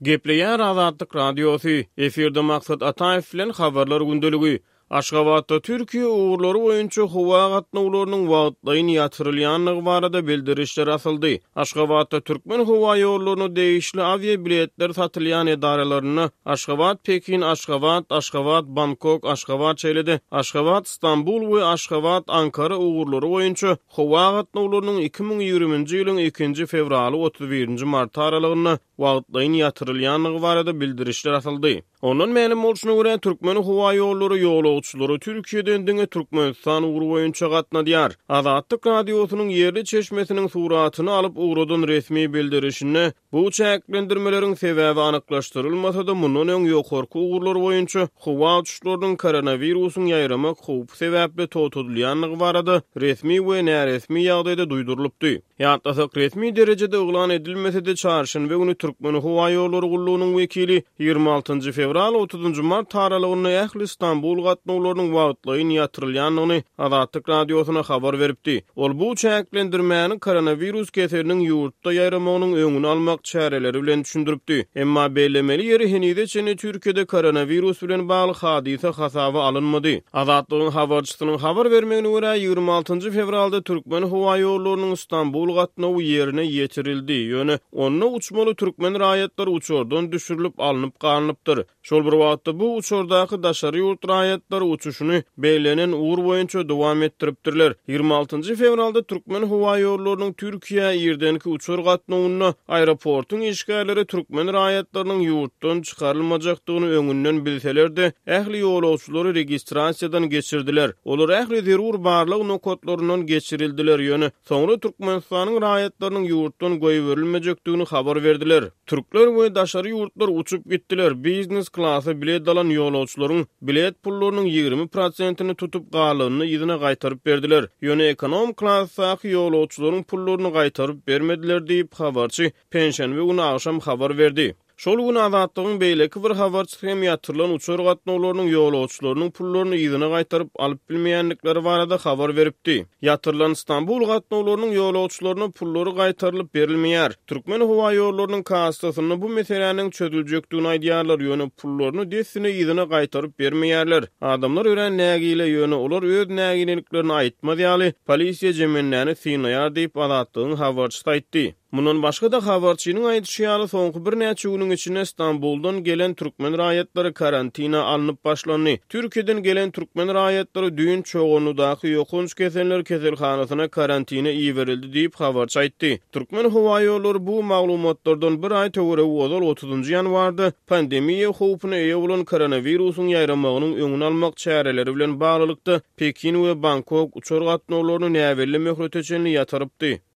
Gepleýär Azatlyk Radiosy, efirde Maksat Ataýew bilen Habarlar gündeligi. Aşgabatda Türkiýe ugurlary boýunça howa gatnawlarynyň wagtlaýyn ýatyrylýandygy barada bildirişler asyldy. Aşgabatda Türkmenhowaýollaryna degişli awiabiletler satylýan edaralarynda Aşgabat, Pekin, Aşgabat, Aşgabat, Bangkok, Aşgabat, şeýle-de Aşgabat, Stambul we Aşgabat, Ankara ugurlary boýunça howa gatnawlarynyň 2020-nji ýylyň ikinji fewraly 31-nji marty aralygynda wagtlaýyn ýatyrylýandygy barada bildirişler asyldy. Ondan mälim bolşuna görä, Türkmenhowaýollary ýolagçylary Türkiýeden diňe Türkmenistan ugry boýunça gatnadýar. Azatlyk Radiosynyň ýerli çeşmesiniň suratyny alyp ugradan resmi bildirişinde bu çäklendirmeleriň sebäbi anyklaşdyrylmasa-da, mundan öň ýokarky ugurlar boýunça howa uçuşlarynyň koronawirusyň ýaýramak howpy sebäpli togtadylýandygy barada resmi we näresmi ýagdaýda duýdurylypdy. Ýatlasak, resmi derejede yglan edilmese-de, çarşenbe güni Türkmenhowaýollary gullugynyň wekili 26 fewral, 30 mart aralygynda ähli Stambul gatnawlarynyň wagtlaýyn ýatyrylýandygyny Azatlyk Radiosyna habar beripdi. Ol bu çäklendirmäni koronawirus keseliniň ýurtda ýaýramagynyň öňüni almak çäreleri bilen düşündiripdi. Emma bellemeli ýeri, henize çenli Türkiýede koronawirus bilen bagly hadysa hasaba alynmady. Azatlygyň habarçysynyň habar bermegine görä, 26 fewralda Türkmenhowaýollarynyň Stambul gatnawy ýerine ýetirildi, ýöne onda uçmaly türkmen raýatlary uçardan düşürilip alnyp galnypdyr. Şol bir wagtda, bu uçardaky daşary ýurt raýatlary uçuşyny bellenen ugur boýunça dowam etdiripdirler. 26 fewralda Türkmenhowaýollarynyň Türkiýä irdenki uçar gatnawynda aeroportuň işgärleri türkmen raýatlarynyň ýurtdan çykarylmajakdygyny öňünden bilseler-de, ähli ýolagçylary registrasiýadan geçirdiler. Olar ähli zerur barlag nokatlaryndan geçirildiler, ýöne soňra Türkmenistanyň raýatlarynyň ýurtdan goýberilmejekdigini habar berdiler. Türkler we daşary ýurtlar uçup gitdiler, biznes klasa bilet alan ýolagçylaryň bilet pullarynyň 20 prosentini tutup, galanyny yzyna gaýtaryp berdiler. Ýöne ekonom klasdaky ýolagçylaryň pullaryny gaýtaryp bermediler diýip, habarçy penşenbe güni agşam habar berdi. Şol gün Azatlygyň beýleki bir habarçysy hem ýatyrylan uçar gatnawlarynyň ýolagçylarynyň pullaryny yzyna gaýtaryp alyp bilmeýändikleri barada habar beripdi. Ýatyrylan Stambul gatnawlarynyň ýolagçylaryna pullary gaýtarylyp berilmeýär. Türkmenhowaýollarynyň kassasynda bu meseläniň çözüljekdigini aýdýarlar, ýöne pullaryny dessine yzyna gaýtaryp bermeýärler. Adamlar örän nägile, ýöne olar öz nägileliklerini aýtmaz ýaly, polisiýa jemendäni synlaýar diýip, Azatlygyň habarçysy aýtdy. Mundan başga-da, habarçynyň aýdyşy ýaly, soňky birnäçe günüň içinde Stambuldan gelen türkmen raýatlary karantina alnyp başlandy. Türkiýeden gelen türkmen raýatlary düýn Çoganlydaky ýokanç keseller keselhanasyna karantina iberildi diýip, habarçy aýtdy. Türkmenhowaýollary bu maglumatlardan bir aý töweregi ozal, otuzynjy ýanwarda pandemiýa howpuna eýe bolan koronawirusyň ýaýramagynyň öňüni almak çäreleri bilen baglylykda, Pekin we Bangkok uçar gatnawlaryny näbelli möhlete çenli ýatyrypdy.